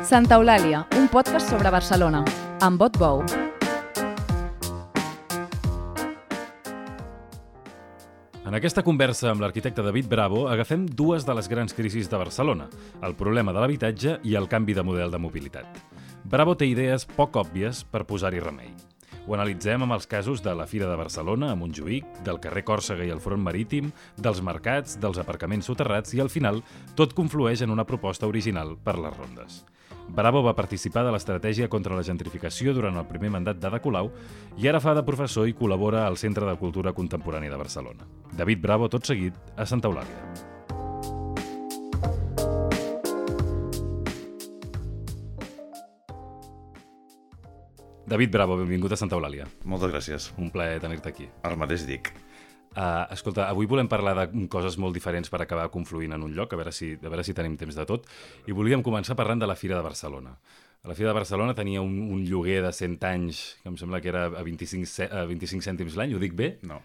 Santa Eulàlia, un podcast sobre Barcelona, amb Bot Bou. En aquesta conversa amb l'arquitecte David Bravo agafem dues de les grans crisis de Barcelona, el problema de l'habitatge i el canvi de model de mobilitat. Bravo té idees poc òbvies per posar-hi remei. Ho analitzem amb els casos de la Fira de Barcelona, a Montjuïc, del carrer Còrsega i el Front Marítim, dels mercats, dels aparcaments soterrats i, al final, tot conflueix en una proposta original per les rondes. Bravo va participar de l'estratègia contra la gentrificació durant el primer mandat d'Ada Colau i ara fa de professor i col·labora al Centre de Cultura Contemporània de Barcelona. David Bravo, tot seguit, a Santa Eulàlia. David Bravo, benvingut a Santa Eulàlia. Moltes gràcies. Un plaer tenir-te aquí. El mateix dic. Escolta, avui volem parlar de coses molt diferents per acabar confluint en un lloc, a veure si tenim temps de tot, i volíem començar parlant de la Fira de Barcelona. La Fira de Barcelona tenia un lloguer de 100 anys, que em sembla que era a 25 cèntims l'any, ho dic bé? No,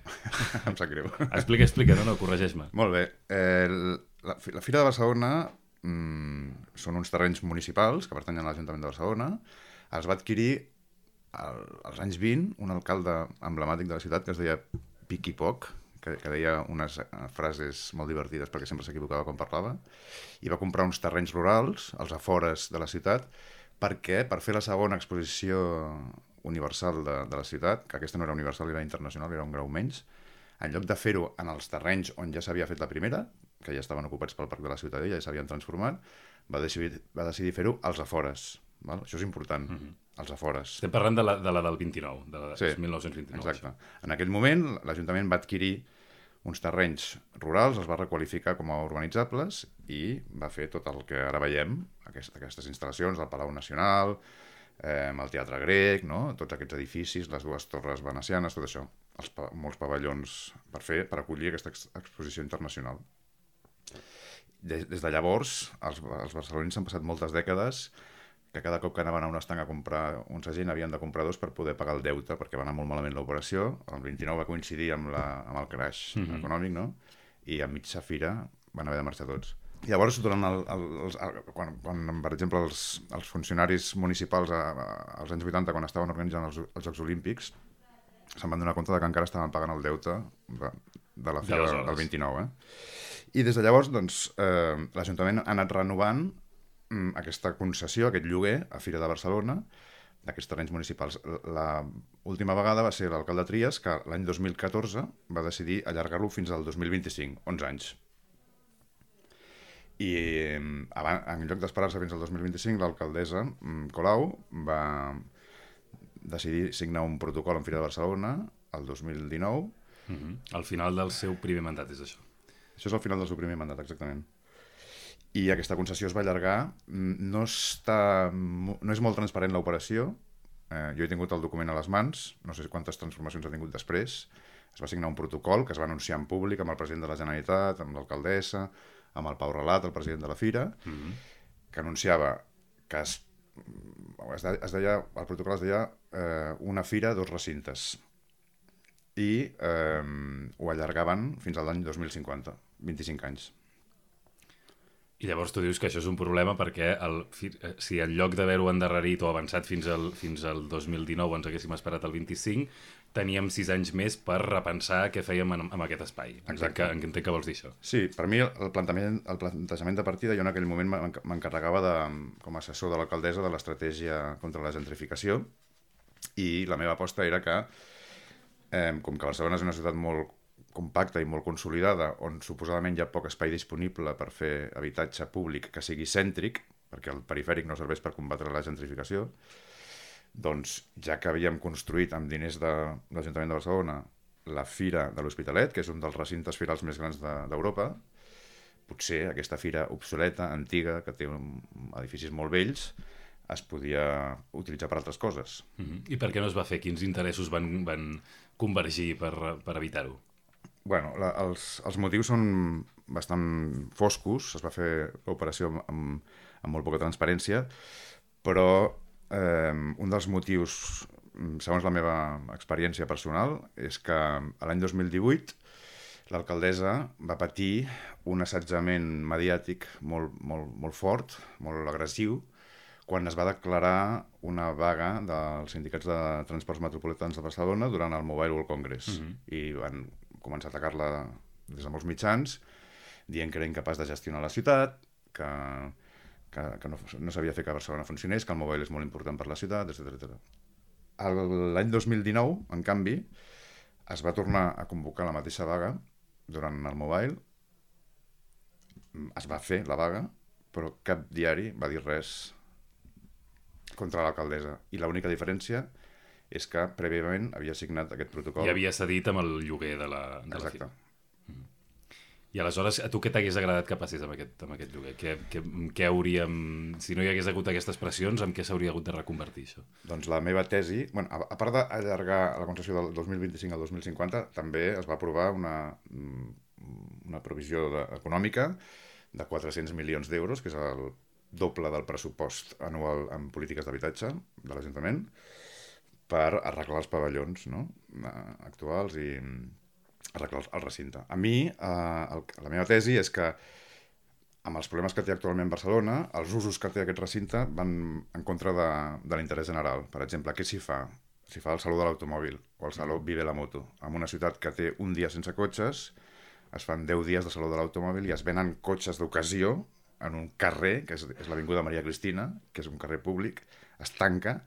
em sap greu. Explica, no, corregeix-me. Molt bé. La Fira de Barcelona són uns terrenys municipals que pertanyen a l'Ajuntament de Barcelona. Els va adquirir als anys 20 un alcalde emblemàtic de la ciutat que es deia Pic i Poc, que deia unes frases molt divertides perquè sempre s'equivocava quan parlava, i va comprar uns terrenys rurals als afores de la ciutat perquè, per fer la segona exposició universal de la ciutat, que aquesta no era universal, era internacional, era un grau menys, en lloc de fer-ho en els terrenys on ja s'havia fet la primera, que ja estaven ocupats pel Parc de la Ciutadella i s'havien transformat, va decidir fer-ho als afores. Val? Això és important, als afores. Estem parlant de la del 29, de la sí, 1929. Exacte. En aquell moment, l'Ajuntament va adquirir uns terrenys rurals, els va requalificar com a urbanitzables i va fer tot el que ara veiem, aquestes instal·lacions, el Palau Nacional, el Teatre Grec, no? Tots aquests edificis, les dues torres venecianes, tot això, molts pavellons per acollir aquesta exposició internacional. Des de llavors, els barcelonins han passat moltes dècades que cada cop que anaven a un estanc a comprar un segell havien de comprar dos per poder pagar el deute, perquè va anar molt malament l'operació. El 29 va coincidir amb el crash econòmic, no? I a mitja fira van haver de marxar tots. I llavors, quan per exemple, els funcionaris municipals als anys 80, quan estaven organitzant els Jocs Olímpics, se'n van donar compte que encara estaven pagant el deute de la fira del 29. I des de llavors, doncs, l'Ajuntament ha anat renovant aquesta concessió, aquest lloguer a Fira de Barcelona, d'aquests terrenys municipals. L'última vegada va ser l'alcalde Trias, que l'any 2014 va decidir allargar-lo fins al 2025, 11 anys. I en lloc d'esperar-se fins al 2025, l'alcaldessa Colau va decidir signar un protocol amb Fira de Barcelona el 2019. Al final del seu primer mandat, és això? Això és al final del seu primer mandat, exactament. I aquesta concessió es va allargar. No és molt transparent l'operació. Jo he tingut el document a les mans, no sé quantes transformacions ha tingut després. Es va signar un protocol que es va anunciar en públic amb el president de la Generalitat, amb l'alcaldessa, amb el Pau Relat, el president de la Fira, que anunciava que el protocol es deia una fira, dos recintes. I ho allargaven fins a l'any 2050, 25 anys. I llavors tu dius que això és un problema perquè si en lloc d'haver-ho endarrerit o avançat fins al 2019 ens haguéssim esperat el 25, teníem 6 anys més per repensar què fèiem amb aquest espai. Entenc que vols dir això. Sí, per mi el plantejament de partida, jo en aquell moment m'encarregava com a assessor de l'alcaldessa de l'estratègia contra la gentrificació, i la meva aposta era que, com que Barcelona és una ciutat molt compacta i molt consolidada, on suposadament hi ha poc espai disponible per fer habitatge públic que sigui cèntric, perquè el perifèric no serveix per combatre la gentrificació, doncs ja que havíem construït amb diners de l'Ajuntament de Barcelona la Fira de l'Hospitalet, que és un dels recintes firals més grans d'Europa, potser aquesta fira obsoleta, antiga, que té edificis molt vells, es podia utilitzar per altres coses. I per què no es va fer? Quins interessos van convergir per evitar-ho? Bueno, els motius són bastant foscos. Es va fer l'operació amb molt poca transparència, però un dels motius, segons la meva experiència personal, és que l'any 2018 l'alcaldessa va patir un assetjament mediàtic molt fort, molt agressiu, quan es va declarar una vaga dels sindicats de transports metropolitans de Barcelona durant el Mobile World Congress. I van començar a atacar-la des de molts mitjans, dient que era incapaç de gestionar la ciutat, que no sabia fer que Barcelona funcionés, que el mobile és molt important per la ciutat, etc. L'any 2019, en canvi, es va tornar a convocar la mateixa vaga durant el mobile. Es va fer la vaga, però cap diari va dir res contra l'alcaldessa. I l'única diferència és que prèviament havia signat aquest protocol. I havia cedit amb el lloguer de la Exacte. I aleshores, a tu què t'hagués agradat que passés amb aquest lloguer? Què hauríem... Si no hi hagués hagut aquestes pressions, amb què s'hauria hagut de reconvertir això? Doncs la meva tesi... Bueno, a part d'allargar la concessió del 2025 al 2050, també es va aprovar una provisió econòmica de 400 milions d'euros, que és el doble del pressupost anual en polítiques d'habitatge de l'Ajuntament, per arreglar els pavellons, no? Actuals i arreglar el recinte. A mi, la meva tesi és que amb els problemes que té actualment Barcelona, els usos que té aquest recinte van en contra de l'interès general. Per exemple, què s'hi fa? S'hi fa el Saló de l'Automòbil o el Saló Vive la Moto. En una ciutat que té un dia sense cotxes, es fan 10 dies de Saló de l'Automòbil i es venen cotxes d'ocasió en un carrer, que és l'Avinguda Maria Cristina, que és un carrer públic, es tanca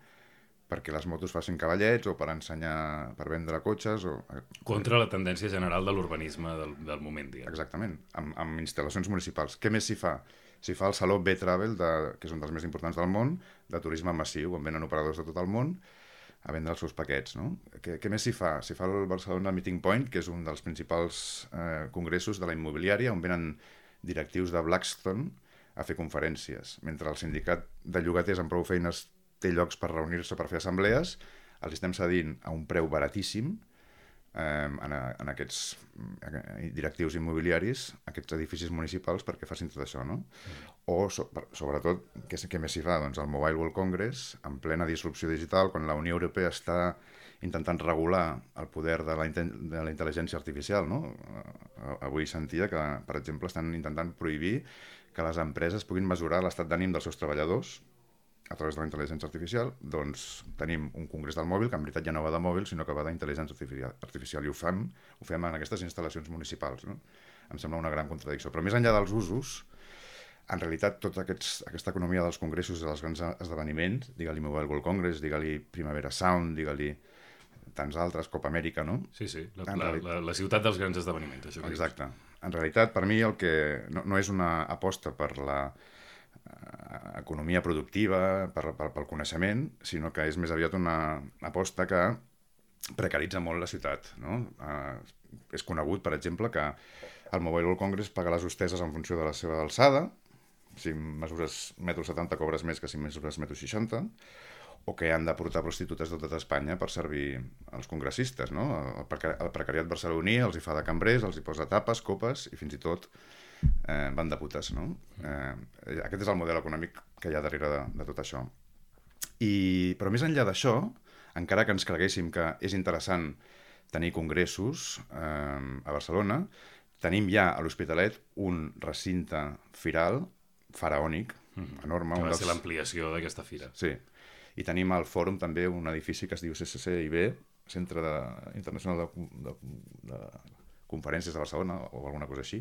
perquè les motos facin cavallets o per ensenyar, per vendre cotxes. Contra la tendència general de l'urbanisme del moment, diguem. Exactament, amb instal·lacions municipals. Què més s'hi fa? S'hi fa el Saló B-Travel, que és un dels més importants del món, de turisme massiu, on venen operadors de tot el món a vendre els seus paquets. No? Què més s'hi fa? S'hi fa el Barcelona Meeting Point, que és un dels principals congressos de la immobiliària, on venen directius de Blackstone a fer conferències. Mentre el sindicat de llogaters amb prou feines té llocs per reunir-se per fer assemblees, els estem cedint a un preu baratíssim en aquests directius immobiliaris, aquests edificis municipals, perquè facin tot això, no? O, sobretot, què més s'hi fa? Doncs el Mobile World Congress, en plena disrupció digital, quan la Unió Europea està intentant regular el poder de la intel·ligència artificial, no? Avui sentia que, per exemple, estan intentant prohibir que les empreses puguin mesurar l'estat d'ànim dels seus treballadors a través de la intel·ligència artificial. Doncs tenim un congrés del mòbil que en veritat ja no va de mòbil, sinó que va d'intel·ligència artificial, i ho fem en aquestes instal·lacions municipals, no? Em sembla una gran contradicció. Però més enllà dels usos, en realitat tota aquesta economia dels congressos i dels grans esdeveniments, digue-li Mobile World Congress, digue-li Primavera Sound, digue-li tants altres, Copa Amèrica, no? Sí, la ciutat dels grans esdeveniments, això. Exacte. En realitat, per mi, el que no és una aposta per la economia productiva, pel coneixement, sinó que és més aviat una aposta que precaritza molt la ciutat, no? És conegut, per exemple, que el Mobile World Congress paga les hosteses en funció de la seva alçada, si mesures 1,70 m cobres més que si mesures 1,60 m, o que han de portar prostitutes de tota Espanya per servir als congressistes, no? El precariat barceloní els hi fa de cambrers, els hi posa tapes, copes i fins i tot van de putes, no? Aquest és el model econòmic que hi ha darrere de tot això. Però més enllà d'això, encara que ens creguéssim que és interessant tenir congressos a Barcelona, tenim ja a l'Hospitalet un recinte firal faraònic, enorme. Que va ser l'ampliació d'aquesta fira. Sí. I tenim al Fòrum també un edifici que es diu CCCIB, Centre Internacional de Conferències de Barcelona, o alguna cosa així,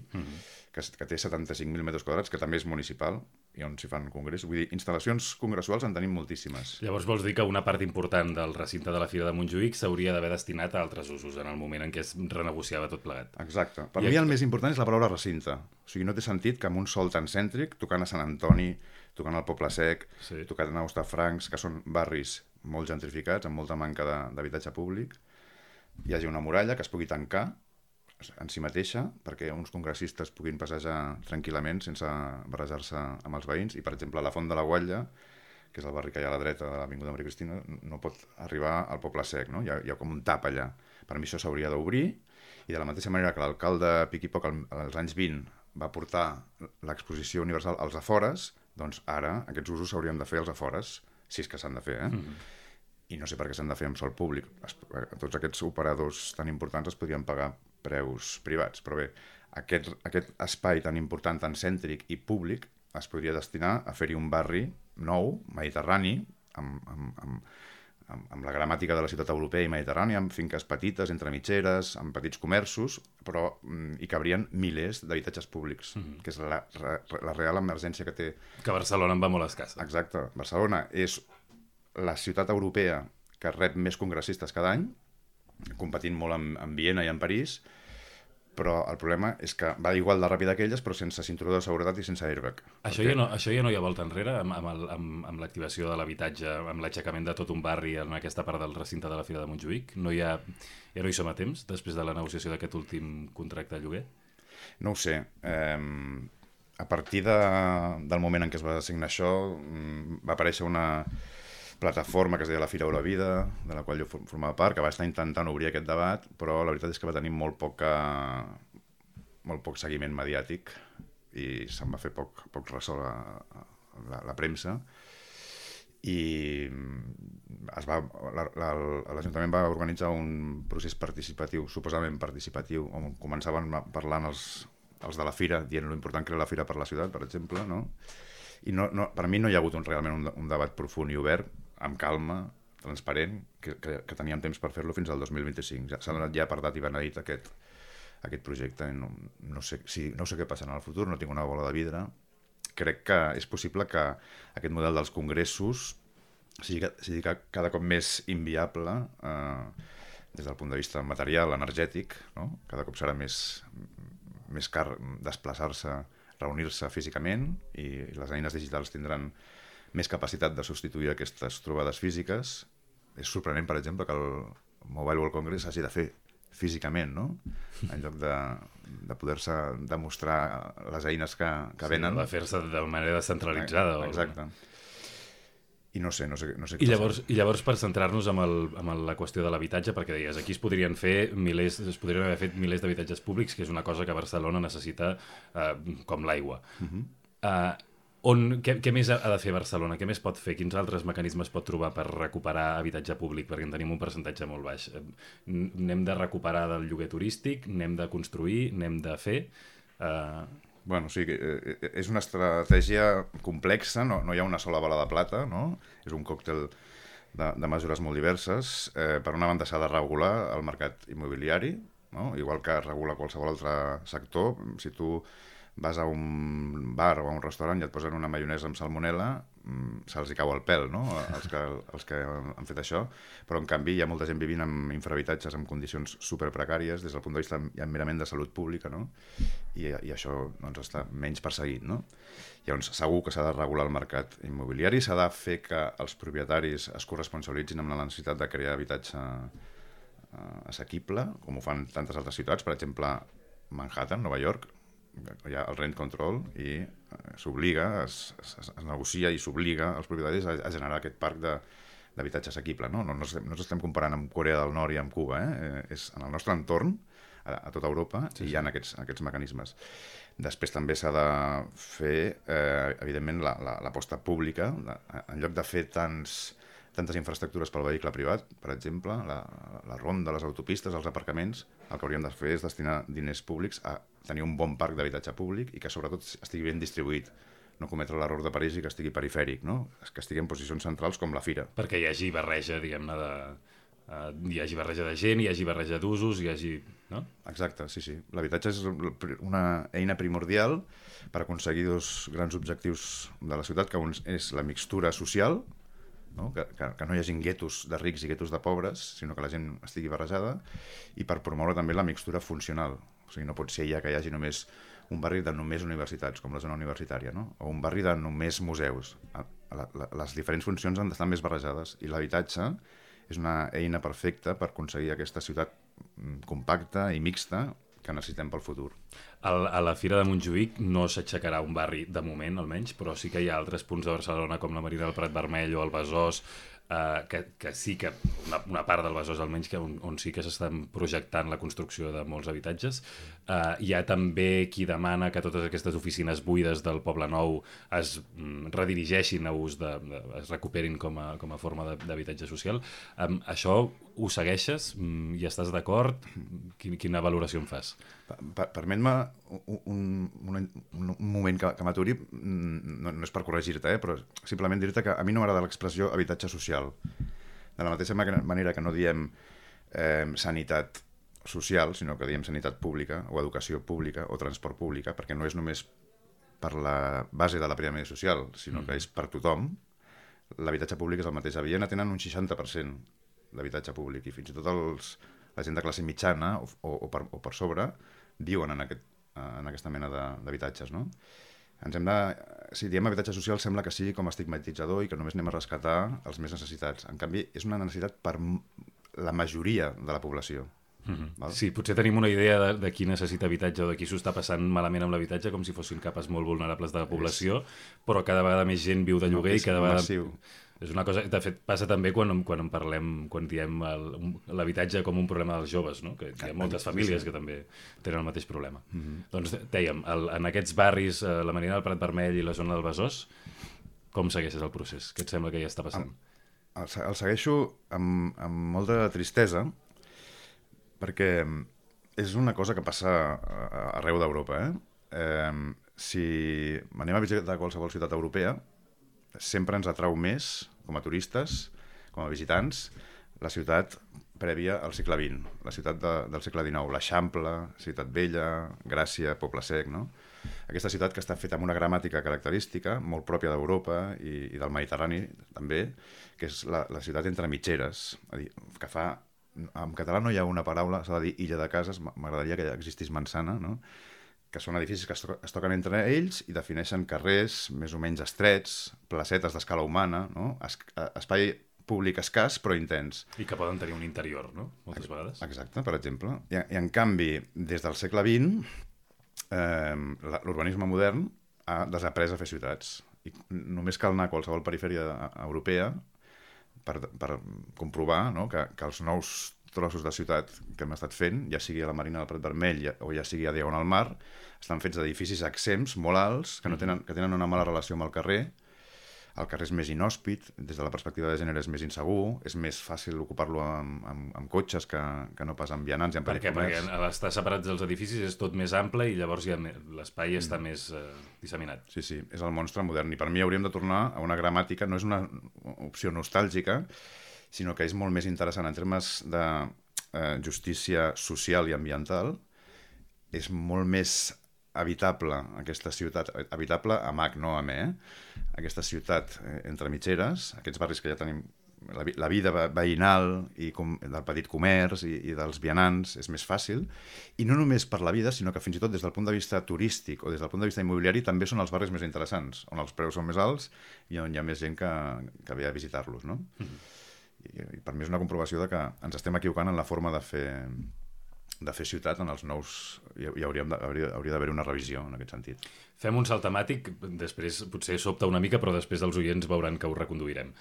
que té 75.000 metres quadrats, que també és municipal, i on s'hi fan congressos. Vull dir, instal·lacions congressuals en tenim moltíssimes. Llavors vols dir que una part important del recinte de la Fira de Montjuïc s'hauria d'haver destinat a altres usos en el moment en què es renegociava tot plegat. Exacte. Per mi el més important és la paraula recinte. O sigui, no té sentit que amb un sol tan cèntric, tocant a Sant Antoni, tocant al Poble Sec, tocant a Hostafrancs, que són barris molt gentrificats, amb molta manca d'habitatge públic, hi hagi una muralla que es pugui tancar en si mateixa, perquè uns congressistes puguin passejar tranquil·lament sense barrejar-se amb els veïns, i per exemple la Font de la Guatlla, que és el barri que hi ha a la dreta de l'Avinguda Maria Cristina, no pot arribar al Poble Sec, no? Hi ha com un tap allà. Per mi això s'hauria d'obrir, i de la mateixa manera que l'alcalde Pic i Poc als anys 20 va portar l'exposició universal als afores, doncs ara aquests usos s'haurien de fer als afores, si és que s'han de fer, I no sé per què s'han de fer amb sòl públic. Tots aquests operadors tan importants es podrien pagar preus privats, però bé, aquest espai tan important, tan cèntric i públic, es podria destinar a fer-hi un barri nou, mediterrani, amb la gramàtica de la ciutat europea i mediterrània, amb finques petites, entre mitgeres, amb petits comerços, però hi cabrien milers d'habitatges públics, que és la real emergència que té. Que Barcelona en va molt escassa. Exacte. Barcelona és la ciutat europea que rep més congressistes cada any, competint molt amb Viena i amb París, però el problema és que va igual de ràpid que elles, però sense cinturó de seguretat i sense airbag. Això ja no hi ha volta enrere amb l'activació de l'habitatge, amb l'aixecament de tot un barri en aquesta part del recinte de la Fira de Montjuïc? Ja no hi som a temps, després de la negociació d'aquest últim contracte de lloguer? No ho sé. A partir del moment en què es va assignar això, va aparèixer una plataforma que es deia la Fira o la Vida, de la qual jo formava part, que va estar intentant obrir aquest debat, però la veritat és que va tenir molt poc seguiment mediàtic i se'n va fer poc ressò a la premsa, i l'Ajuntament va organitzar un procés participatiu, suposadament participatiu, on començaven parlant els de la Fira, dient l'important que era la Fira per la ciutat, per exemple, no? I per mi no hi ha hagut realment un debat profund i obert, amb calma, transparent, que teníem temps per fer-lo fins al 2025. S'ha donat ja per dat i benedit aquest projecte. No sé què passarà en el futur, no tinc una bola de vidre. Crec que és possible que aquest model dels congressos sigui cada cop més inviable des del punt de vista material, energètic, no? Cada cop serà més car desplaçar-se, reunir-se físicament, i les eines digitals tindran més capacitat de substituir aquestes trobades físiques. És sorprenent, per exemple, que el Mobile World Congress hagi de fer físicament, no? En lloc de poder-se demostrar les eines que venen. Sí, de fer-se de manera descentralitzada. Exacte. I no sé I llavors, per centrar-nos en la qüestió de l'habitatge, perquè deies, aquí es podrien haver fet milers d'habitatges públics, que és una cosa que Barcelona necessita com l'aigua. Què més ha de fer Barcelona? Què més pot fer? Quins altres mecanismes pot trobar per recuperar habitatge públic? Perquè en tenim un percentatge molt baix. N'hem de recuperar del lloguer turístic? N'hem de construir? N'hem de fer? Bueno, sí, és una estratègia complexa, no hi ha una sola bala de plata, no? És un còctel de mesures molt diverses. Per una banda s'ha de regular el mercat immobiliari, no? Igual que regula qualsevol altre sector. Si tu vas a un bar o a un restaurant i et posen una maionesa amb salmonel·la, se'ls hi cau el pèl, no? Els que han fet això, però en canvi hi ha molta gent vivint en infrahabitatges en condicions superprecàries des del punt de vista merament de salut pública, no? I això doncs, està menys perseguit, no? Llavors segur que s'ha de regular el mercat immobiliari, s'ha de fer que els propietaris es corresponsabilitzin amb la necessitat de crear habitatge assequible, com ho fan tantes altres ciutats, per exemple Manhattan, Nova York. Hi ha el rent control i s'obliga, es negocia i s'obliga als propietaris a generar aquest parc d'habitatge assequible, no? No ens estem comparant amb Corea del Nord i amb Cuba, és en el nostre entorn, a tota Europa, sí. I hi ha aquests mecanismes. Després també s'ha de fer, evidentment, l'aposta pública, en lloc de fer tantes infraestructures pel vehicle privat, per exemple, la ronda, les autopistes, els aparcaments, el que hauríem de fer és destinar diners públics a tenir un bon parc d'habitatge públic i que sobretot estigui ben distribuït, no cometre l'error de París i que estigui perifèric, no? Que estigui en posicions centrals com la Fira. Perquè hi hagi barreja, diguem-ne, hi hagi barreja de gent, hi hagi barreja d'usos, hi hagi... No? Exacte, sí. L'habitatge és una eina primordial per aconseguir dos grans objectius de la ciutat, que un és la mixtura social, no? Que no hi hagi guetos de rics i guetos de pobres, sinó que la gent estigui barrejada, i per promoure també la mixtura funcional. O sigui, no pot ser ja que hi hagi només un barri de només universitats, com la zona universitària, no? O un barri de només museus. Les diferents funcions han d'estar més barrejades, i l'habitatge és una eina perfecta per aconseguir aquesta ciutat compacta i mixta que necessitem pel futur. A la Fira de Montjuïc no s'aixecarà un barri, de moment almenys, però sí que hi ha altres punts de Barcelona com la Marina del Prat Vermell o el Besòs que sí que una part del Besòs almenys on sí que s'estan projectant la construcció de molts habitatges. Hi ha també qui demana que totes aquestes oficines buides del Poble Nou es redirigeixin a ús es recuperin com a forma d'habitatge social. Això ho segueixes? Hi estàs d'acord? Quina valoració en fas? Permet-me un moment que m'aturi, no és per corregir-te, però simplement dir-te que a mi no m'agrada l'expressió habitatge social. De la mateixa manera que no diem sanitat social, sinó que diem sanitat pública, o educació pública, o transport pública, perquè no és només per la base de la piràmide social, sinó que és per tothom. L'habitatge públic és el mateix. A Viena tenen un 60% d'habitatge públic, i fins i tot la gent de classe mitjana o per sobre viuen en aquesta mena d'habitatges, no? Si diem habitatge social sembla que sigui com estigmatitzador i que només anem a rescatar els més necessitats. En canvi, és una necessitat per la majoria de la població. Sí, potser tenim una idea de qui necessita habitatge o de qui s'ho està passant malament amb l'habitatge, com si fossin capes molt vulnerables de la població, però cada vegada més gent viu de lloguer i cada vegada... És una cosa, de fet, passa també quan diem l'habitatge com un problema dels joves, no? Que hi ha moltes famílies que també tenen el mateix problema. Doncs dèiem, en aquests barris, la Marina del Prat Vermell i la zona del Besòs, com segueixes el procés? Què et sembla que hi està passant? El segueixo amb molta tristesa, perquè és una cosa que passa arreu d'Europa. Si anem a visitar qualsevol ciutat europea, sempre ens atrau més, com a turistes, com a visitants, la ciutat prèvia al segle XX, la ciutat del segle XIX, l'Eixample, Ciutat Vella, Gràcia, Poble Sec, no? Aquesta ciutat que està feta amb una gramàtica característica, molt pròpia d'Europa i del Mediterrani, també, que és la ciutat entre mitgeres, és a dir, que fa... En català no hi ha una paraula, s'ha de dir illa de cases, m'agradaria que existís manzana, no? Que són edificis que es toquen entre ells i defineixen carrers més o menys estrets, placetes d'escala humana, no? Espai públic escàs però intens. I que poden tenir un interior, no? Moltes vegades. Exacte, per exemple. I en canvi, des del segle XX, l'urbanisme modern ha desaprès a fer ciutats. I només cal anar a qualsevol perifèria europea per comprovar, no? que els nous trossos de ciutat que hem estat fent, ja sigui a la Marina del Prat Vermell o ja sigui a Diagonal Mar, estan fets d'edificis exempts, molt alts, que tenen una mala relació amb el carrer. El carrer és més inhòspit, des de la perspectiva de gènere és més insegur, és més fàcil ocupar-lo amb cotxes que no pas amb vianants i amb petit comerç. Perquè a estar separats dels edificis és tot més ample i llavors l'espai està més disseminat. Sí, és el monstre modern. I per mi hauríem de tornar a una gramàtica, no és una opció nostàlgica, sinó que és molt més interessant en termes de justícia social i ambiental. És molt més habitable aquesta ciutat, habitable amb H, no amb E, aquesta ciutat entre mitgeres, aquests barris que ja tenim, la vida veïnal i del petit comerç i dels vianants és més fàcil, i no només per la vida, sinó que fins i tot des del punt de vista turístic o des del punt de vista immobiliari també són els barris més interessants, on els preus són més alts i on hi ha més gent que ve a visitar-los, no? I per mi és una comprovació de que ens estem equivocant en la forma de fer ciutat en els nous... Hauria d'haver una revisió en aquest sentit. Fem un salt temàtic, després potser sobta una mica, però després els oients veuran que ho reconduirem.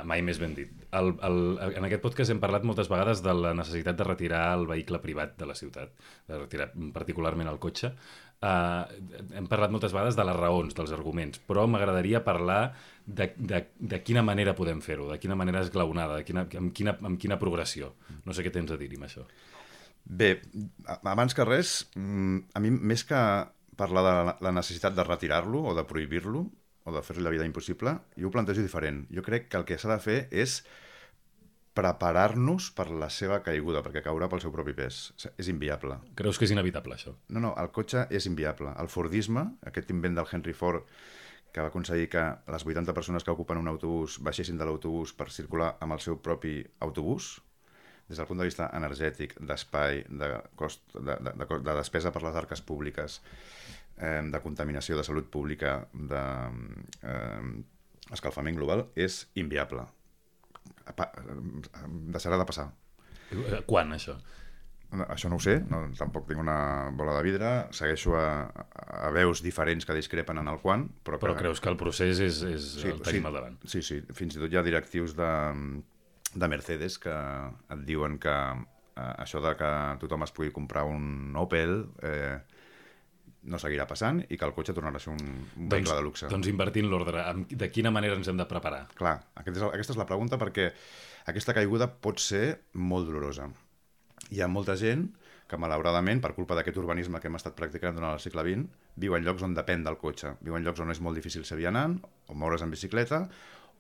Mai més ben dit. En aquest podcast hem parlat moltes vegades de la necessitat de retirar el vehicle privat de la ciutat, de retirar particularment el cotxe. Hem parlat moltes vegades de les raons, dels arguments, però m'agradaria parlar de quina manera podem fer-ho, de quina manera esglaonada, amb quina progressió. No sé què tens a dir-hi amb això. Bé, abans que res, a mi més que parlar de la necessitat de retirar-lo o de prohibir-lo o de fer-li la vida impossible, jo ho plantejo diferent. Jo crec que el que s'ha de fer és preparar-nos per la seva caiguda, perquè caurà pel seu propi pes. És inviable. Creus que és inevitable, això? No, el cotxe és inviable. El Fordisme, aquest invent del Henry Ford, que va aconseguir que les 80 persones que ocupen un autobús baixessin de l'autobús per circular amb el seu propi autobús, des del punt de vista energètic, d'espai, de cost, de despesa per les arques públiques, de contaminació, de salut pública, d'escalfament global, és inviable. Deixarà de passar. Quan, això? Això no ho sé, tampoc tinc una bola de vidre, segueixo a veus diferents que discrepen en el quant, però creus que el procés el tenim al davant? Sí, fins i tot hi ha directius de Mercedes que et diuen que això de que tothom es pugui comprar un Opel no seguirà passant i que el cotxe tornarà a ser un vehicle de luxe. Doncs invertint l'ordre, de quina manera ens hem de preparar? Clar, aquesta és la pregunta, perquè aquesta caiguda pot ser molt dolorosa. Hi ha molta gent que, malauradament, per culpa d'aquest urbanisme que hem estat practicant durant el segle XX, viu en llocs on depèn del cotxe. Viu en llocs on és molt difícil ser vianant, o moure's en bicicleta,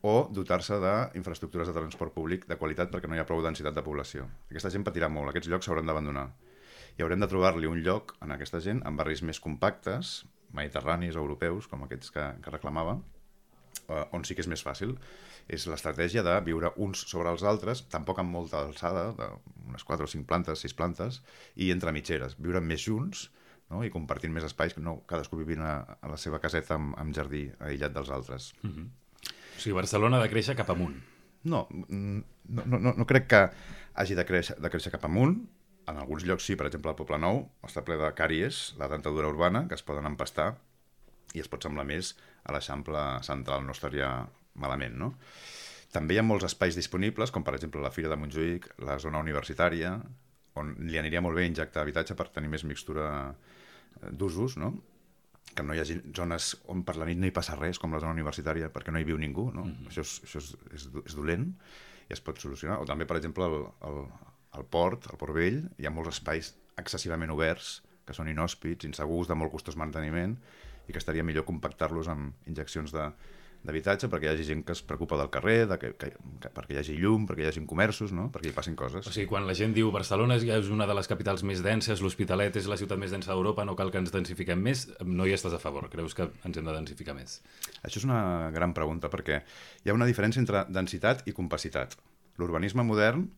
o dotar-se d'infraestructures de transport públic de qualitat perquè no hi ha prou densitat de població. Aquesta gent patirà molt, aquests llocs s'hauran d'abandonar. I haurem de trobar-li un lloc en aquesta gent en barris més compactes, mediterranis o europeus, com aquests que reclamava, on sí que és més fàcil. És l'estratègia de viure uns sobre els altres, tampoc amb molta alçada, d'unes 4 o 5 plantes, 6 plantes, i entre mitgeres, viure més junts, no? I compartint més espais, no cadascú vivint a la seva caseta amb jardí aïllat dels altres. O sigui, Barcelona ha de créixer cap amunt. No crec que hagi de créixer cap amunt. En alguns llocs sí, per exemple, el Poble Nou està ple de càries, la dentadura urbana, que es poden empastar i es pot semblar més a l'Eixample central, no estaria malament, no? També hi ha molts espais disponibles, com per exemple la Fira de Montjuïc, la zona universitària, on li aniria molt bé injectar habitatge per tenir més mixtura d'usos, no? Que no hi hagi zones on per la nit no hi passa res, com la zona universitària, perquè no hi viu ningú, no? Això és dolent i es pot solucionar. O també, per exemple, al Port Vell, hi ha molts espais excessivament oberts, que són inhòspits, insegurs, de molt costós manteniment, i que estaria millor compactar-los amb injeccions d'habitatge perquè hi hagi gent que es preocupa del carrer, perquè hi hagi llum, perquè hi hagi comerços, no? Perquè hi passin coses. O sigui, quan la gent diu Barcelona és una de les capitals més denses, l'Hospitalet és la ciutat més densa d'Europa, no cal que ens densifiquem més, no hi estàs a favor? Creus que ens hem de densificar més? Això és una gran pregunta, perquè hi ha una diferència entre densitat i compacitat. L'urbanisme modern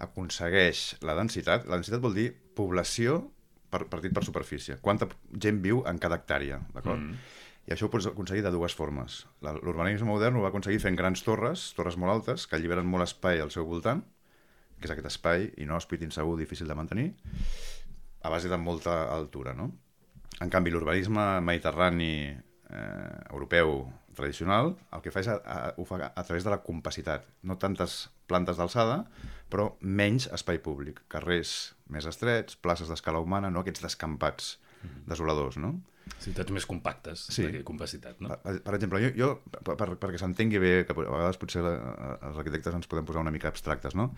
aconsegueix la densitat. La densitat vol dir població partit per superfície. Quanta gent viu en cada hectàrea, d'acord? I això ho pots aconseguir de dues formes. L'urbanisme modern ho va aconseguir fent grans torres molt altes, que alliberen molt espai al seu voltant, que és aquest espai inhòspit, insegur, difícil de mantenir, a base de molta altura, no? En canvi, l'urbanisme mediterrani europeu tradicional, el que fa és ho fa a través de la compacitat. No tantes plantes d'alçada, però menys espai públic. Carrers més estrets, places d'escala humana, no aquests descampats desoladors, no? Ciutats més compactes, sí. De compacitat, no? Per exemple, jo perquè s'entengui bé, que a vegades potser els arquitectes ens podem posar una mica abstractes, no?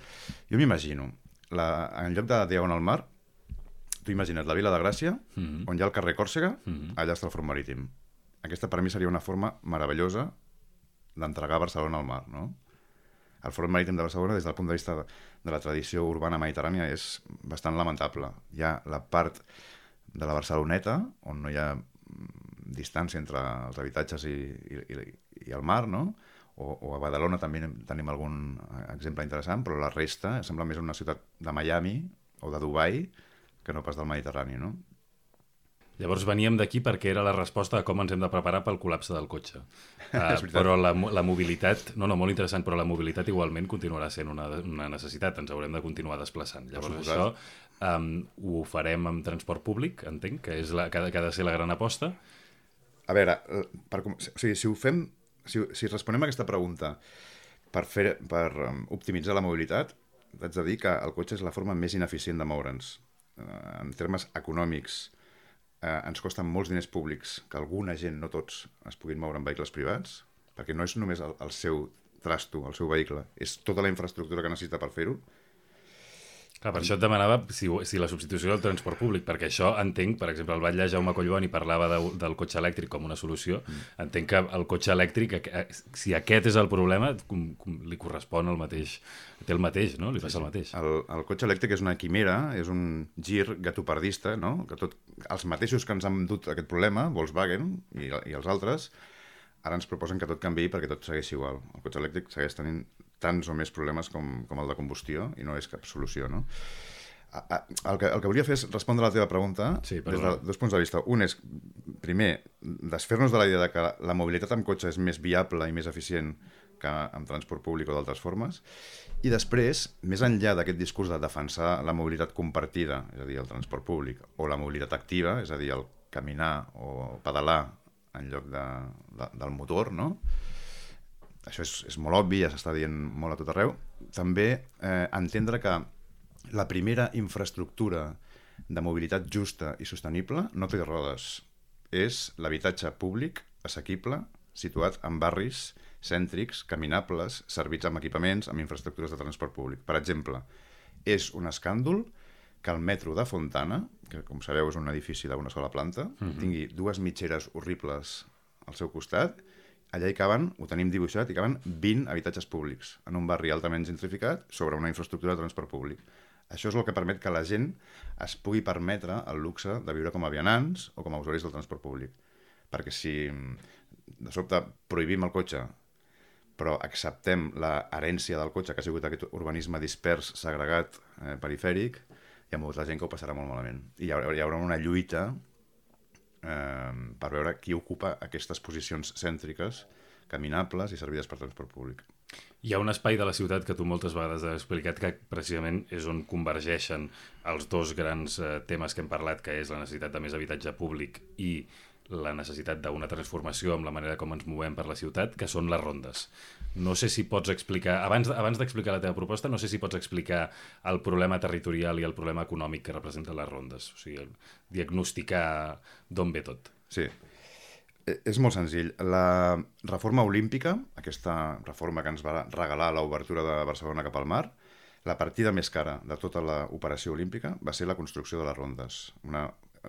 Jo m'imagino, en lloc de Diagonal Mar, tu imagina't la Vila de Gràcia, on hi ha el carrer Còrsega, allà està el Front Marítim. Aquesta per mi seria una forma meravellosa d'entregar Barcelona al mar, no? El Front Marítim de Barcelona, des del punt de vista de la tradició urbana mediterrània, és bastant lamentable. Hi ha la part de la Barceloneta, on no hi ha distància entre els habitatges i el mar, no? O a Badalona també tenim algun exemple interessant, però la resta sembla més una ciutat de Miami o de Dubai que no pas del Mediterrani, no? Llavors veníem d'aquí perquè era la resposta a com ens hem de preparar pel col·lapse del cotxe. Però la mobilitat, molt interessant, però la mobilitat igualment continuarà sent una necessitat, ens haurem de continuar desplaçant. Llavors això ho farem amb transport públic, entenc, que és que ha de ser la gran aposta. A veure, si responem a aquesta pregunta per optimitzar la mobilitat, haig de dir que el cotxe és la forma més ineficient de moure'ns. En termes econòmics, ens costen molts diners públics que alguna gent, no tots, es puguin moure en vehicles privats, perquè no és només el seu trasto, el seu vehicle, és tota la infraestructura que necessita per fer-ho. Clar, per això et demanava si la substitució del transport públic, perquè això entenc, per exemple, el batlle Jaume Collboni parlava del cotxe elèctric com una solució, entenc que el cotxe elèctric, si aquest és el problema, li correspon el mateix, té el mateix, no? Li passa el mateix. El cotxe elèctric és una quimera, és un gir gatopardista, no? Que els mateixos que ens han dut aquest problema, Volkswagen i els altres, ara ens proposen que tot canviï perquè tot segueixi igual. El cotxe elèctric segueix tenint tants o més problemes com el de combustió i no és cap solució, no? El que volia fer és respondre a la teva pregunta des de dos punts de vista. Un és, primer, desfer-nos de la idea de que la mobilitat amb cotxe és més viable i més eficient que amb transport públic o d'altres formes. I després, més enllà d'aquest discurs de defensar la mobilitat compartida, és a dir, el transport públic, o la mobilitat activa, és a dir, el caminar o pedalar en lloc del motor, no? Això és molt obvi, ja s'està dient molt a tot arreu. També entendre que la primera infraestructura de mobilitat justa i sostenible no té rodes. És l'habitatge públic, assequible, situat en barris cèntrics, caminables, servits amb equipaments, amb infraestructures de transport públic. Per exemple, és un escàndol que el metro de Fontana, que com sabeu és un edifici d'una sola planta, tingui 2 mitgeres horribles al seu costat. Allà hi caben, ho tenim dibuixat, hi caben 20 habitatges públics en un barri altament gentrificat sobre una infraestructura de transport públic. Això és el que permet que la gent es pugui permetre el luxe de viure com a vianants o com a usuaris del transport públic. Perquè si de sobte prohibim el cotxe, però acceptem l'herència del cotxe, que ha sigut aquest urbanisme dispers, segregat, perifèric, hi ha molta gent que ho passarà molt malament. I hi haurà una lluita per veure qui ocupa aquestes posicions cèntriques, caminables i servides per transport públic. Hi ha un espai de la ciutat que tu moltes vegades has explicat que precisament és on convergeixen els dos grans temes que hem parlat, que és la necessitat de més habitatge públic i la necessitat d'una transformació amb la manera com ens movem per la ciutat, que són les rondes. No sé si pots explicar, abans d'explicar la teva proposta, no sé si pots explicar el problema territorial i el problema econòmic que representen les rondes, o sigui, diagnosticar d'on ve tot. Sí, és molt senzill. La reforma olímpica, aquesta reforma que ens va regalar l'obertura de Barcelona cap al mar, la partida més cara de tota l'operació olímpica va ser la construcció de les rondes, una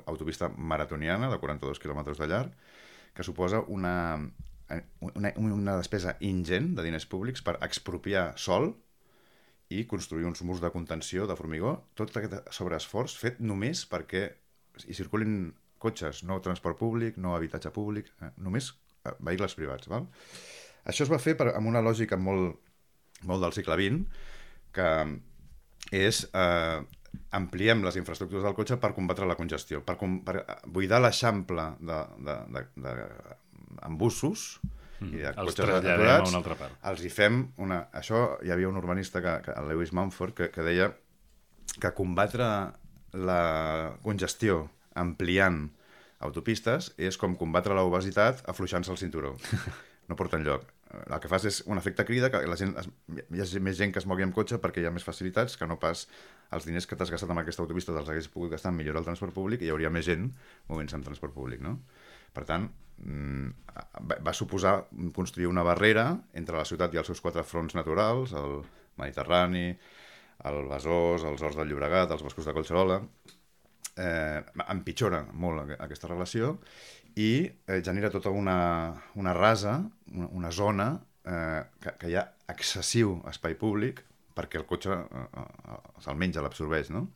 autopista maratoniana de 42 quilòmetres de llarg, que suposa una despesa ingent de diners públics per expropiar sòl i construir uns murs de contenció de formigó, tot aquest sobreesforç fet només perquè hi circulin cotxes, no transport públic, no habitatge públic, només vehicles privats. Val? Això es va fer amb una lògica molt del segle XX, que és ampliem les infraestructures del cotxe per combatre la congestió, per buidar l'eixample d'embussos i de cotxes aturats, els hi fem una... Això hi havia un urbanista, el Lewis Mumford, que deia que combatre la congestió ampliant autopistes és com combatre l'obesitat afluixant-se el cinturó. No porta enlloc. El que fas és un efecte crida, que hi ha més gent que es mogui amb cotxe perquè hi ha més facilitats, que no pas els diners que t'has gastat amb aquesta autopista te'ls hagués pogut gastar en millorar el transport públic i hi hauria més gent movent-se amb transport públic, no? Per tant, va suposar construir una barrera entre la ciutat i els seus 4 fronts naturals, el Mediterrani, el Besòs, els Horts del Llobregat, els boscos de Collserola. Empitjora molt aquesta relació i genera tota una rasa, una zona que hi ha excessiu espai públic perquè el cotxe se'l menja, l'absorbeix, no?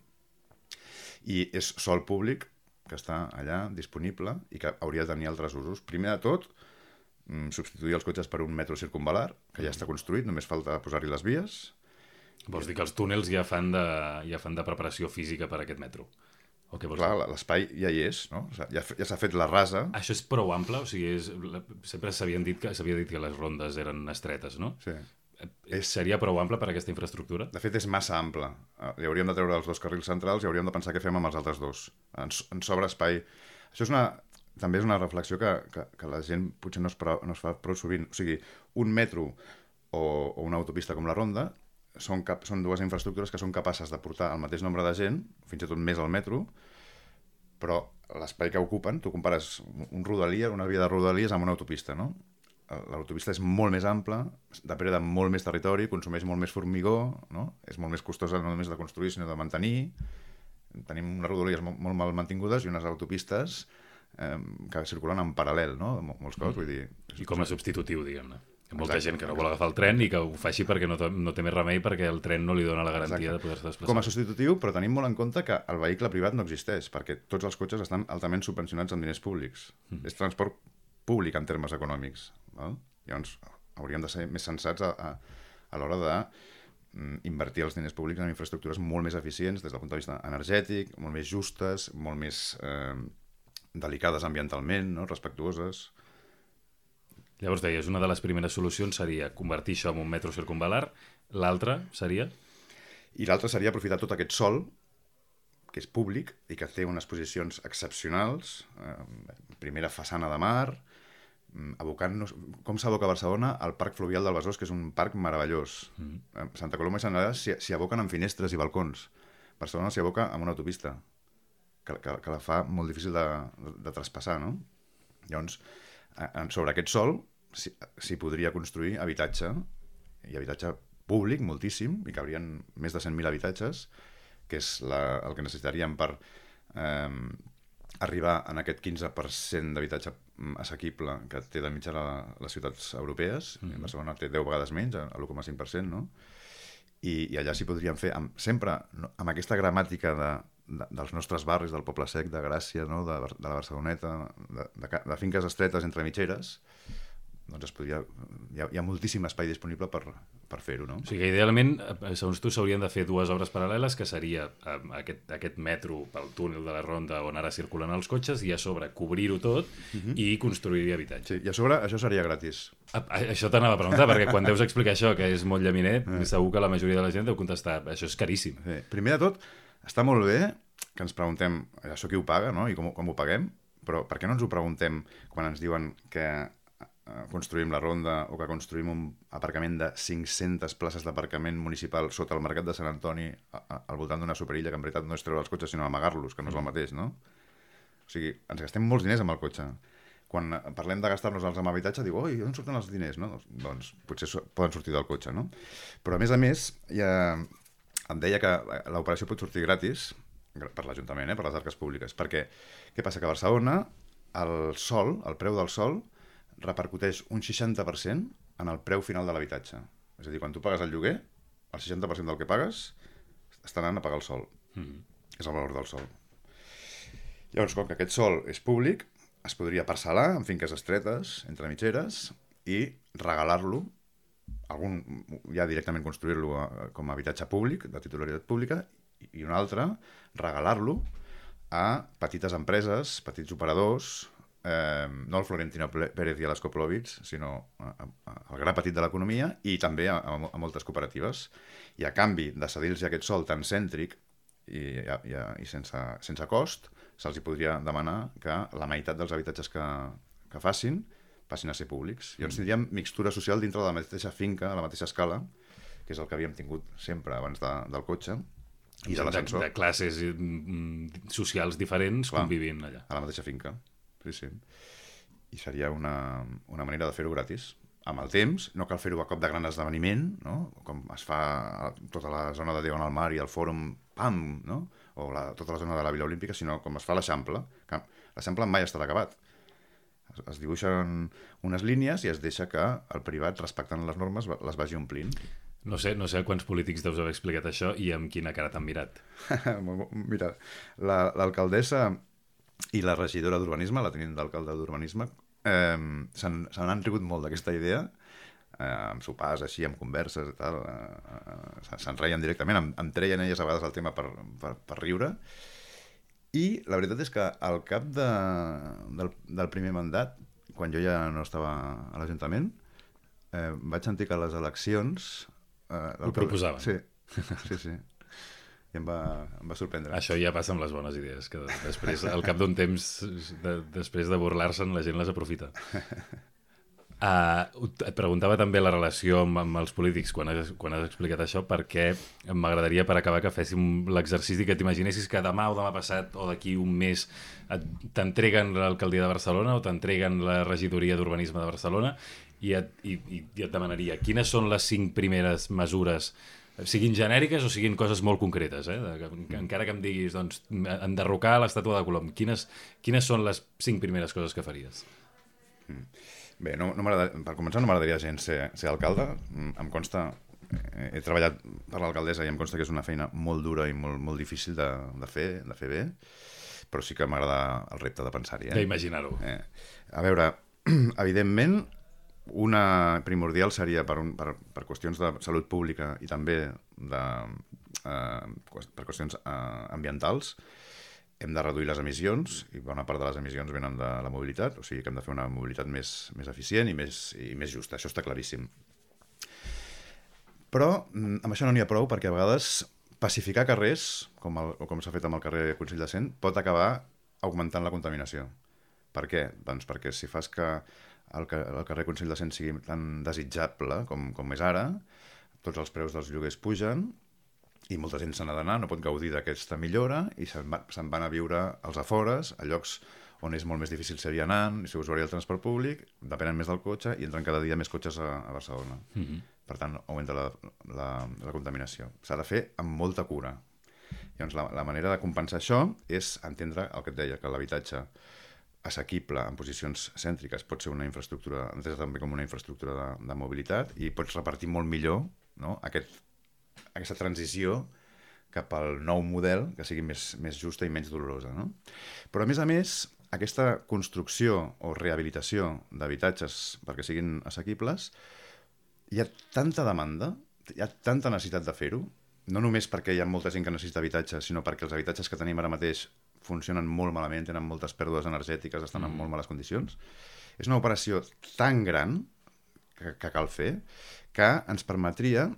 I és sòl públic que està allà disponible i que hauria de tenir altres usos. Primer de tot, substituir els cotxes per un metro circunvalar, que ja està construït, només falta posar-hi les vies. Vols dir que els túnels ja fan de preparació física per a aquest metro? Clar, l'espai ja hi és, no? Ja s'ha fet la rasa. Això és prou ample? O sigui, sempre s'havia dit que les rondes eren estretes, no? Sí. Seria prou ample per a aquesta infraestructura? De fet, és massa ample. Li hauríem de treure els 2 carrils centrals i hauríem de pensar què fem amb els altres 2. Ens sobra espai. Això també és una reflexió que la gent potser no es fa prou sovint. O sigui, un metro o una autopista com la Ronda són 2 infraestructures que són capaces de portar el mateix nombre de gent, fins i tot més al metro, però l'espai que ocupen, tu compares una via de rodalies amb una autopista, no? L'autopista és molt més ampla, depreda molt més territori, consumeix molt més formigó, no? És molt més costosa no només de construir, sinó de mantenir. Tenim unes rodalies molt mal mantingudes i unes autopistes que circulen en paral·lel, no? Molts cops, vull dir... I com a substitutiu, diguem-ne. Hi ha molta gent que no vol agafar el tren i que ho faci perquè no té més remei perquè el tren no li dona la garantia de poder-se desplaçar. Com a substitutiu, però tenim molt en compte que el vehicle privat no existeix, perquè tots els cotxes estan altament subvencionats amb diners públics. És transport públic en termes econòmics. Val? Llavors, hauríem de ser més sensats a l'hora d'invertir els diners públics en infraestructures molt més eficients des del punt de vista energètic, molt més justes, molt més delicades ambientalment, no? Respectuoses. Llavors deies, una de les primeres solucions seria convertir això en un metro circunvalar, l'altra seria? I l'altra seria aprofitar tot aquest sòl, que és públic i que té unes posicions excepcionals, primera façana de mar, abocant-nos... Com s'aboca a Barcelona? Al Parc Fluvial del Besòs, que és un parc meravellós. Santa Coloma i Sant Adrià s'hi aboquen amb finestres i balcons. Barcelona s'hi aboca amb una autopista, que la fa molt difícil de traspassar, no? Llavors, sobre aquest sòl s'hi podria construir habitatge, i habitatge públic, moltíssim, i cabrien més de 100.000 habitatges, que és el que necessitaríem per arribar en aquest 15% d'habitatge assequible que té de mitjana les ciutats europees. Barcelona té 10 vegades menys, a l'1,5%, no? I allà s'hi podrien fer, sempre amb aquesta gramàtica dels nostres barris, del Poble Sec, de Gràcia, no? de la Barceloneta, de finques estretes entre mitgeres, doncs hi ha moltíssim espai disponible per fer-ho, no? O sigui que idealment, segons tu, s'haurien de fer dues obres paral·leles, que seria aquest metro pel túnel de la Ronda on ara circulen els cotxes, i a sobre cobrir-ho tot i construir habitatge. Sí, i a sobre això seria gratis. Això t'anava a preguntar, perquè quan deus explicar això, que és molt llaminet, segur que la majoria de la gent deu contestar, això és caríssim. Sí. Primer de tot, està molt bé que ens preguntem això qui ho paga, no? I com ho paguem, però per què no ens ho preguntem quan ens diuen que construïm la Ronda o que construïm un aparcament de 500 places d'aparcament municipal sota el Mercat de Sant Antoni al voltant d'una superilla que en veritat no és treure els cotxes sinó amagar-los, que no és el mateix, no? O sigui, ens gastem molts diners amb el cotxe. Quan parlem de gastar-nos-els amb habitatge, diu, oi, on surten els diners, no? Doncs potser poden sortir del cotxe, no? Però a més, em deia que l'operació pot sortir gratis per l'Ajuntament, per les arques públiques, perquè què passa? Que a Barcelona el preu del sòl repercuteix un 60% en el preu final de l'habitatge. És a dir, quan tu pagues el lloguer, el 60% del que pagues està anant a pagar el sòl. És el valor del sòl. Llavors, com que aquest sòl és públic, es podria parcel·lar en finques estretes, entre mitgeres, i regalar-lo, ja directament construir-lo com a habitatge públic, de titularitat pública, i un altre, regalar-lo a petites empreses, petits operadors, no al Florentino Pérez i a l'Skoplovitz, sinó al gra petit de l'economia i també a moltes cooperatives. I a canvi de cedir-los aquest sòl tan cèntric i sense cost, se'ls podria demanar que la meitat dels habitatges que passin a ser públics. Llavors tindríem mixtura social dintre de la mateixa finca, a la mateixa escala, que és el que havíem tingut sempre abans del cotxe i de l'ascensor. De classes socials diferents convivint allà. A la mateixa finca. Sí. I seria una manera de fer-ho gratis. Amb el temps, no cal fer-ho a cop de gran esdeveniment, no? Com es fa a tota la zona de Diagonal Mar i el Fòrum, pam, no? O tota la zona de la Vila Olímpica, sinó com es fa a l'Eixample. L'Eixample mai estarà acabat. Es dibuixen unes línies i es deixa que el privat, respectant les normes, les vagi omplint. No sé a quants polítics deus haver explicat això i amb quina cara t'han mirat. Mira, l'alcaldessa i la regidora d'Urbanisme, la tinent d'alcalde d'Urbanisme, se n'han rigut molt d'aquesta idea, amb sopars així, amb converses i tal, se'n reien directament, em treien elles a vegades el tema per riure, i la veritat és que al cap del primer mandat, quan jo ja no estava a l'Ajuntament, vaig sentir que a les eleccions... Ho proposaven. Sí. I em va sorprendre. Això ja passa amb les bones idees, que després, al cap d'un temps, després de burlar-se'n, la gent les aprofita. Et preguntava també la relació amb els polítics quan has explicat això, perquè m'agradaria, per acabar, que féssim l'exercici que t'imaginessis que demà o demà passat o d'aquí un mes t'entreguen l'alcaldia de Barcelona o t'entreguen la regidoria d'Urbanisme de Barcelona i et demanaria quines són les 5 primeres mesures, siguin genèriques o siguin coses molt concretes, encara que em diguis, doncs, enderrocar l'estàtua de Colom, quines són les 5 primeres coses que faries? Bé, per començar no m'agradaria gens ser alcalde. Em consta, he treballat per l'alcaldessa i em consta que és una feina molt dura i molt difícil de fer bé, però sí que m'agrada el repte de pensar-hi. D'imaginar-ho. A veure, evidentment, una primordial seria per qüestions de salut pública i també per qüestions ambientals, hem de reduir les emissions, i bona part de les emissions venen de la mobilitat, o sigui que hem de fer una mobilitat més eficient i més justa, això està claríssim. Però amb això no n'hi ha prou, perquè a vegades pacificar carrers, com s'ha fet amb el carrer Consell de Cent, pot acabar augmentant la contaminació. Per què? Doncs perquè si fas que el carrer Consell de Cent sigui tan desitjable com és ara, tots els preus dels lloguers pugen i molta gent se n'ha d'anar, no pot gaudir d'aquesta millora i se'n van a viure als afores, a llocs on és molt més difícil ser vianant, i ser usuari del transport públic, depenen més del cotxe i entren cada dia més cotxes a Barcelona. Per tant, augmenta la contaminació. S'ha de fer amb molta cura. Llavors, la manera de compensar això és entendre el que et deia, que l'habitatge assequible en posicions cèntriques pot ser una infraestructura, entesa també com una infraestructura de mobilitat, i pots repartir molt millor, no, aquesta transició cap al nou model que sigui més justa i menys dolorosa. No? Però, a més, aquesta construcció o rehabilitació d'habitatges perquè siguin assequibles, hi ha tanta demanda, hi ha tanta necessitat de fer-ho, no només perquè hi ha molta gent que necessita habitatge, sinó perquè els habitatges que tenim ara mateix funcionen molt malament, tenen moltes pèrdues energètiques, estan en molt males condicions. És una operació tan gran que cal fer que ens permetria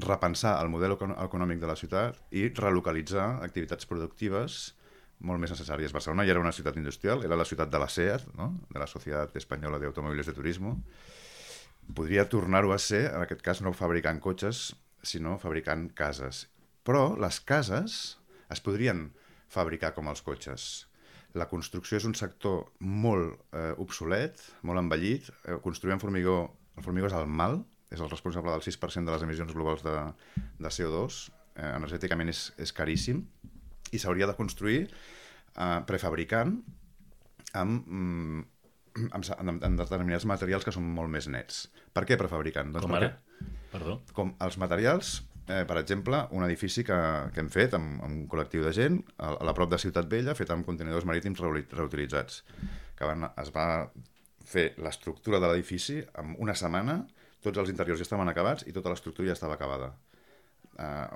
repensar el model econòmic de la ciutat i relocalitzar activitats productives molt més necessàries. Barcelona ja era una ciutat industrial, era la ciutat de la SEAT, no? De la Societat Espanyola de Automóviles de Turismo. Podria tornar-ho a ser, en aquest cas, no fabricant cotxes, sinó fabricant cases. Però les cases es podrien fabricar com els cotxes. La construcció és un sector molt obsolet, molt envellit. Construir amb formigó, el formigó és el mal, és el responsable del 6% de les emissions globals de CO2, energèticament és caríssim, i s'hauria de construir prefabricant amb determinats materials que són molt més nets. Per què prefabricant? Com ara? Perdó? Com els materials, per exemple, un edifici que hem fet amb un col·lectiu de gent a prop de Ciutat Vella, fet amb contenidors marítims reutilitzats, que es va fer l'estructura de l'edifici en una setmana, tots els interiors ja estaven acabats i tota l'estructura ja estava acabada.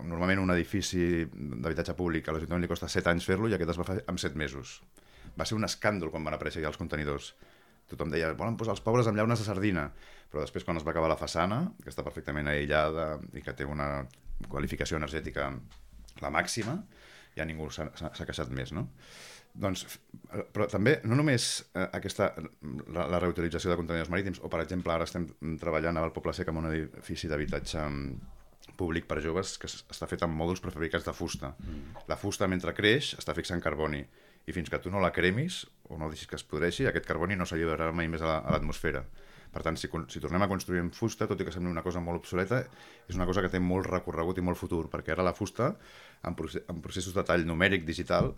Normalment un edifici d'habitatge públic a l'Ajuntament li costa 7 anys fer-lo i aquest es va fer en 7 mesos. Va ser un escàndol quan van aparèixer ja els contenidors. Tothom deia, volen posar els pobres amb llaunes de sardina, però després quan es va acabar la façana, que està perfectament aïllada i que té una qualificació energètica la màxima, ja ningú s'ha queixat més, no? Doncs, però també, no només la reutilització de contenidors marítims, o per exemple ara estem treballant al Poble Sec amb un edifici d'habitatge públic per joves que està fet amb mòduls prefabricats de fusta. La fusta, mentre creix, està fixant carboni, i fins que tu no la cremis o no deixis que es podreixi, aquest carboni no s'alliberarà mai més a l'atmosfera. Per tant, si tornem a construir en fusta, tot i que sembli una cosa molt obsoleta, és una cosa que té molt recorregut i molt futur, perquè ara la fusta, en processos de tall numèric digital,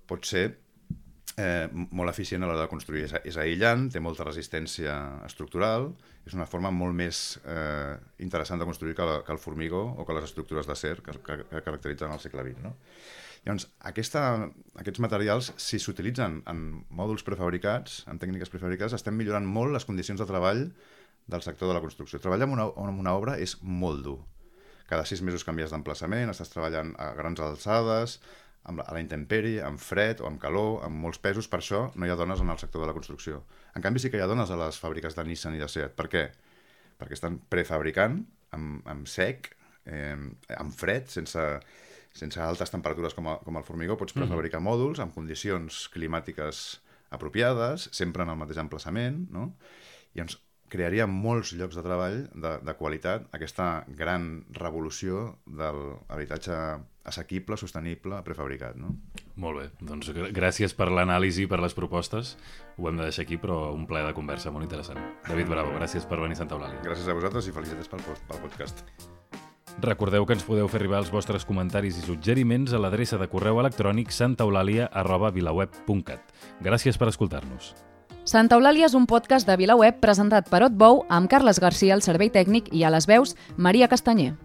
pot ser molt eficient a l'hora de construir. És aïllant, té molta resistència estructural, és una forma molt més interessant de construir que el formigó o que les estructures d'acer que caracteritzen el segle XX. No? Llavors, aquests materials, si s'utilitzen en mòduls prefabricats, en tècniques prefabricades, estem millorant molt les condicions de treball del sector de la construcció. Treballar en una obra és molt dur. Cada 6 mesos canvies d'emplaçament, estàs treballant a grans alçades, a la intempèrie, amb fred o amb calor, amb molts pesos. Per això no hi ha dones en el sector de la construcció. En canvi, sí que hi ha dones a les fàbriques de Nissan i de Seat. Per què? Perquè estan prefabricant amb sec, amb fred, sense altes temperatures com el formigó. Pots prefabricar mòduls amb condicions climàtiques apropiades, sempre en el mateix emplaçament, no? I ens crearia molts llocs de treball de qualitat, aquesta gran revolució de l'habitatge assequible, sostenible, prefabricat. No? Molt bé, doncs gràcies per l'anàlisi i per les propostes. Ho hem de deixar aquí, però un ple de conversa molt interessant. David Bravo, gràcies per venir a Santa Eulàlia. Gràcies a vosaltres i felicitats pel podcast. Recordeu que ens podeu fer arribar els vostres comentaris i suggeriments a l'adreça de correu electrònic santaeulàlia@vilaweb.cat. Gràcies per escoltar-nos. Santa Eulàlia és un podcast de VilaWeb presentat per Otbou amb Carles Garcia al servei tècnic i a les veus Maria Castanyer.